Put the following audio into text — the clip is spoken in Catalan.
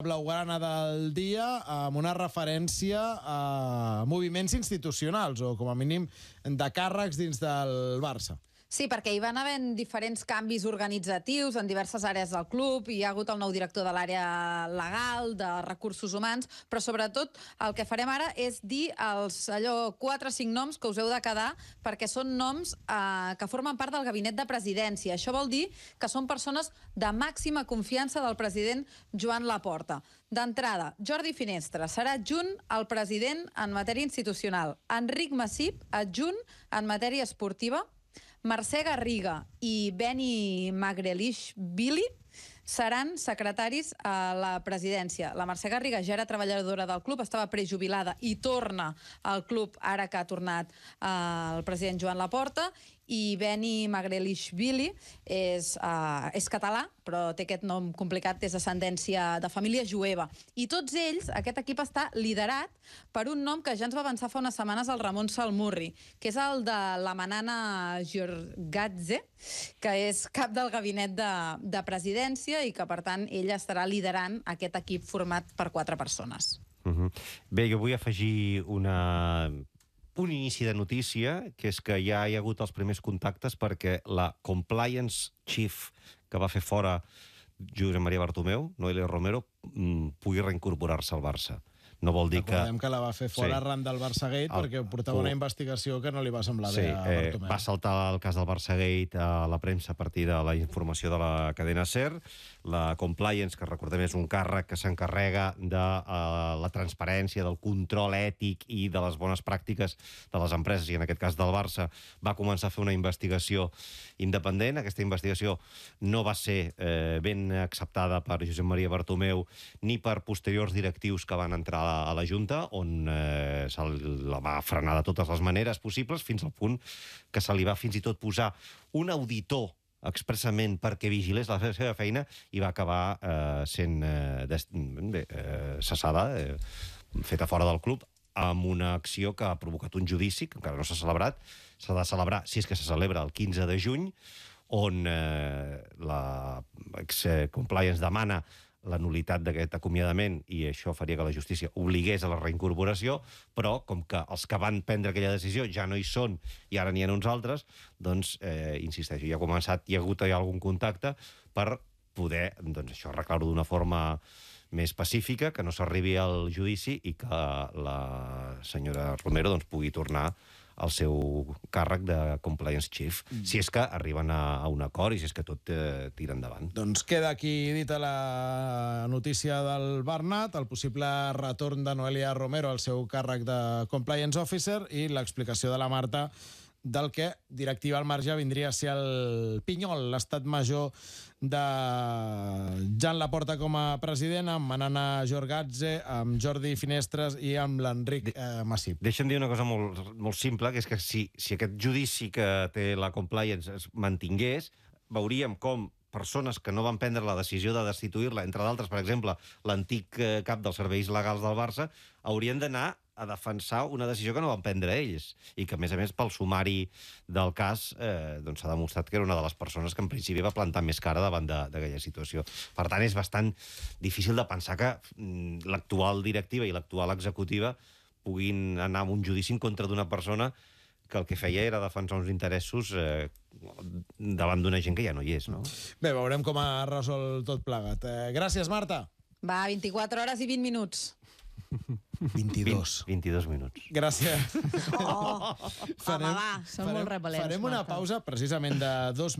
blaugrana del dia amb una referència a moviments institucionals o, com a mínim, de càrrecs dins del Barça. Sí, perquè hi van haver diferents canvis organitzatius en diverses àrees del club, hi ha hagut el nou director de l'àrea legal, de recursos humans, però sobretot el que farem ara és dir els 4 o 5 noms que us heu de quedar, perquè són noms que formen part del gabinet de presidència. Això vol dir que són persones de màxima confiança del president Joan Laporta. D'entrada, Jordi Finestres serà adjunt al president en matèria institucional, Enric Massip, adjunt en matèria esportiva, Mercè Garriga i Beni Magrelishvili seran secretaris a la presidència. La Mercè Garriga ja era treballadora del club, estava prejubilada i torna al club ara que ha tornat el president Joan Laporta, i Beni Magrelishvili és català, però té aquest nom complicat, és d'ascendència de família jueva. I tots ells, aquest equip està liderat per un nom que ja ens va avançar fa unes setmanes el Ramon Salmurri, que és el de la Manana Giorgadze, que és cap del gabinet de presidència i que, per tant, ella estarà liderant aquest equip format per 4 persones. Bé, jo vull afegir un inici de notícia, que és que ja hi ha hagut els primers contactes perquè la Compliance Chief que va fer fora Josep Maria Bartomeu, Noelia Romero, pugui reincorporar-se al Barça. No vol dir que... Recordem que la va fer fora arran del Barçagate perquè portava una investigació que no li va semblar bé a Bartomeu. Va saltar el cas del Barçagate a la premsa a partir de la informació de la cadena SER. La Compliance, que recordem és un càrrec que s'encarrega de la transparència, del control ètic i de les bones pràctiques de les empreses, i en aquest cas del Barça, va començar a fer una investigació independent. Aquesta investigació no va ser ben acceptada per Josep Maria Bartomeu ni per posteriors directius que van entrar a la Junta, on se la va frenar de totes les maneres possibles, fins al punt que se li va fins i tot posar un auditor expressament perquè vigilés la seva feina, i va acabar sent cessada, feta fora del club, amb una acció que ha provocat un judici, que encara no s'ha celebrat. S'ha de celebrar, si és que se celebra, el 15 de juny, on la Compliance demana la nul·litat d'aquest acomiadament, i això faria que la justícia obligués a la reincorporació, però com que els que van prendre aquella decisió ja no hi són i ara n'hi ha uns altres, doncs, insisteixo, hi ha hagut algun contacte per poder, doncs, això, arreglar-ho d'una forma més pacífica, que no s'arribi al judici i que la senyora Romero doncs, pugui tornar al seu càrrec de Compliance Chief, si és que arriben a un acord i si és que tot tira endavant. Doncs queda aquí dita la notícia del Bernat, el possible retorn de Noelia Romero al seu càrrec de Compliance Officer i l'explicació de la Marta del que, directiva al marge, vindria a ser el Pinyol, l'estat major de Joan Laporta com a president, amb Manana Giorgadze, amb Jordi Finestres i amb l'Enric Massip. Deixa'm dir una cosa molt simple, que és que si aquest judici que té la Compliance es mantingués, veuríem com persones que no van prendre la decisió de destituir-la, entre d'altres, per exemple, l'antic cap dels serveis legals del Barça, haurien d'anar a defensar una decisió que no van prendre ells, i que, a més, pel sumari del cas, s'ha demostrat que era una de les persones que en principi va plantar més cara davant d'aquella situació. Per tant, és bastant difícil de pensar que l'actual directiva i l'actual executiva puguin anar a un judici en contra d'una persona que el que feia era defensar uns interessos davant d'una gent que ja no hi és, no? Bé, veurem com ha resolt tot plegat. Gràcies, Marta. Va, 24 hores i 20 minuts. 22 minuts. Gràcies. Home, va, són molt repel·lents, Farem una pausa precisament de 2 minuts.